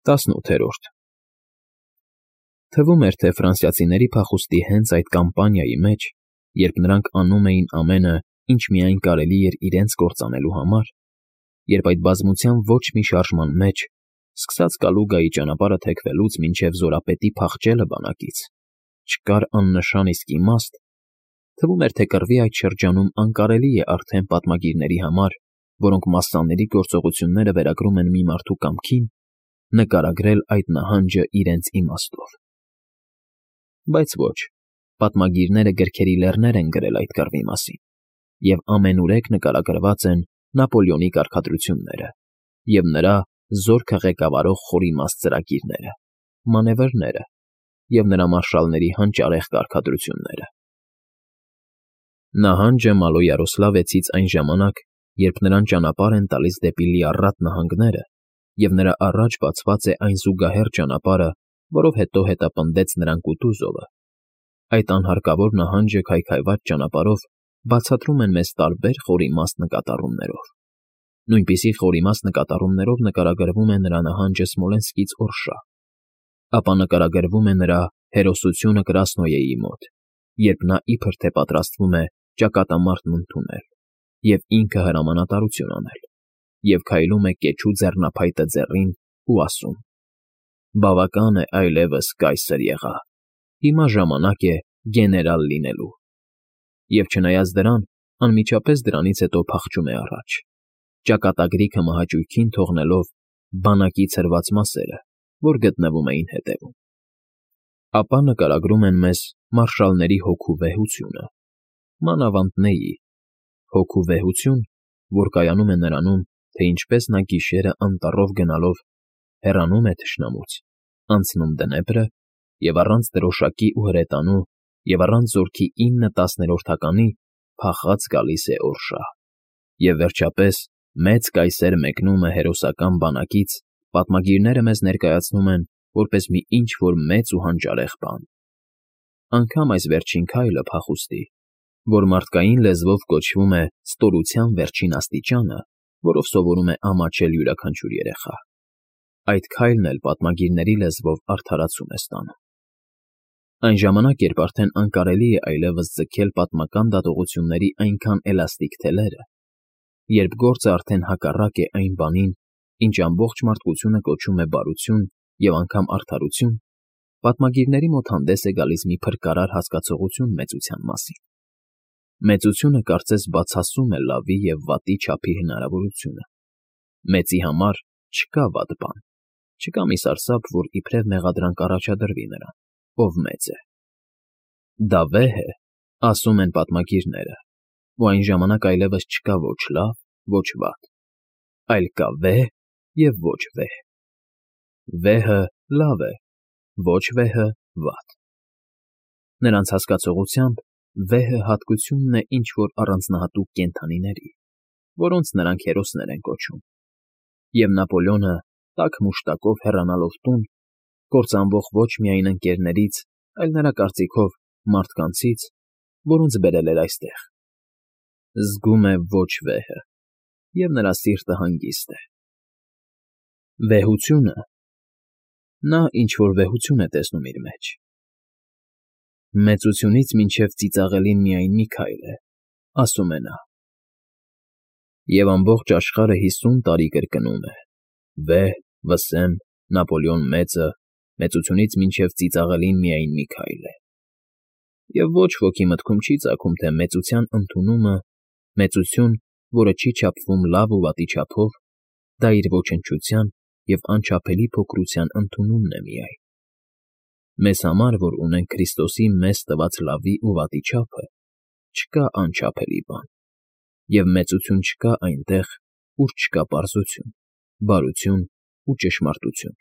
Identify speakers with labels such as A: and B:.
A: 18 Թվում էր, թե ֆրանսիացիների փախուստի հենց այդ կամպանիայի մեջ, երբ նրանք անում էին ամենը, ինչ միայն կարելի էր իրենց կործանելու համար, երբ այդ բազմության ոչ մի շարժման մեջ, սկսած Կալուգայի ճանապարհը թեքվելուց մինչև զորապետի փախչելը բանակից, չկար աննշան իսկ իմաստ, թվում էր, թե կռվի այդ շրջանում անկարելի է արդեն պատմագիրների համար, որոնք մասսաների գործողությունները վերագրում են մի մարդու կամքին, նկարագրել այդ նահանջը իրենց իմաստով։ Բայց ոչ, պատմագիրները գրքերի լեռներ են գրել այդ կռվի մասին, և ամենուրեք նկարագրված են Նապոլեոնի կարգադրությունները և նրա զորքը ղեկավարող խորիմաստ ծրագիրները, մանևրները և նրա մարշալների հանճարեղ կարգադրությունները։ Նահանջը Մալոյարոսլավեցից այն ժամանակ, երբ նրան ճանապարհ են տալիս դեպի Լիառատ նահանգները, և նրա առաջ բացված է այն զուգահեռ ճանապարհը, որով հետո հետապնդեց նրան Կուտուզովը, այդ անհարկավոր նահանջը քայքայված ճանապարհով բացատրում են մեզ տարբեր խորիմաստ նկատառումներով։ Նույնպիսի խորիմաստ նկատառումներով նկարագրվում է նրա նահանջը Սմոլենսկից Օրշա, ապա նկարագրվում է նրա հերոսությունը Կրասնոյեի մոտ, երբ նա իբր թե պատրաստվում է ճակատամարտն ընդունել և ինքը հրամանատարություն անել, և քայլում է կեչու ձեռնափայտը ձեռին ու ասում. «Բավական է այլևս կայսր եղա, հիմա ժամանակ է գեներալ լինելու», և չնայած դրան, անմիջապես դրանից հետո փախչում է առաջ, ճակատագրիքը մահաճույքին թողնելով բանակի ցրված մասերը, որ գտնվում էին հետևում։ Ապա նկարագրում են մեզ մարշալների հոգու վեհությունը, մանավանդ Նեյի հոգու վեհություն, որ կայանում է նրանում, թե ինչպես նա գիշերը անտառով գնալով հեռանում է թշնամուց, անցնում Դնեպրը և առանց դրոշակի ու հրետանու և առանց զորքի 9/10 փախած գալիս է Օրշա, և վերջապես մեծ կայսեր մեկնումը հերոսական բանակից պատմագիրները մեզ ներկայացնում են որպես մի ինչ֊որ մեծ ու հանճարեղ բան։ Անգամ այս վերջին քայլը փախուստի, որ մարդկային լեզվով կոչվում է ստորության վերջին աստիճանը, որով սովորում է ամաչել յուրաքանչյուր երեխա, այդ քայլն էլ պատմագիրների լեզվով արդարացում է ստանում։ Այն ժամանակ, երբ արդեն անկարելի է այլևս ձգել պատմական դատողությունների այնքան էլաստիկ թելերը, երբ գործը արդեն հակառակ է այն բանին, ինչ ամբողջ մարդկությունը կոչում է բարություն և անգամ արդարություն, պատմագիրների մոտ հանդես է գալիս մի փրկարար հասկացողություն մեծության մասին։ Մեծությունը կարծես բացասում է լավի և վատի չափի հնարավորությունը։ Մեծի համար չկա վատ բան, չկա մի սարսափ, որ իբրև մեղադրանք առաջադրվի նրան, ով մեծ է։ Դա վեհ է, ասում են պատմագիրները, ու այն ժամանակ այլևս չկա ոչ լավ, ոչ վատ, այլ կա վեհ և ոչ վեհ։ Վեհը լավ է, ոչ վեհը վատ։ Նրանց հասկացողությամբ վեհը հատկությունն է ինչ֊որ առանձնահատուկ կենդանիների, որոնց նրանք հերոսներ են կոչում, և Նապոլեոնը, տաք մուշտակով հեռանալով տուն, կործանվող ոչ միայն ընկերներից, այլ նրա կարծիքով մարդկանցից, որոնց բերել էր այստեղ, զգում է ոչ վեհը, և նրա սիրտը հանգիստ է։ Վեհությունը… նա ինչ֊որ վեհություն է տեսնում իր մեջ։ Մեծությունից մինչև ծիծաղելին միայն մի քայլ է, ասում է նա։ Եվ ամբողջ աշխարհը 50 տարի կրկնում է. վեհ, վսեմ, Նապոլեոն մեծը, մեծությունից մինչև ծիծաղելին միայն մի քայլ է։ Եվ ոչ ոքի մտքում չի ծագում, թե մեծության ընդունումը, մեծություն, որը չի չափվում լավ ու վատի չափով, դա իր ոչնչության և անչափելի փոքրության ընդունումն է միայն։ Մեզ համար, որ ունենք Քրիստոսի մեզ տված լավի ու վատի չափը, չկա անչափելի բան, և մեծություն չկա այնտեղ, ուր չկա պարզություն, բարություն ու ճշմարտություն։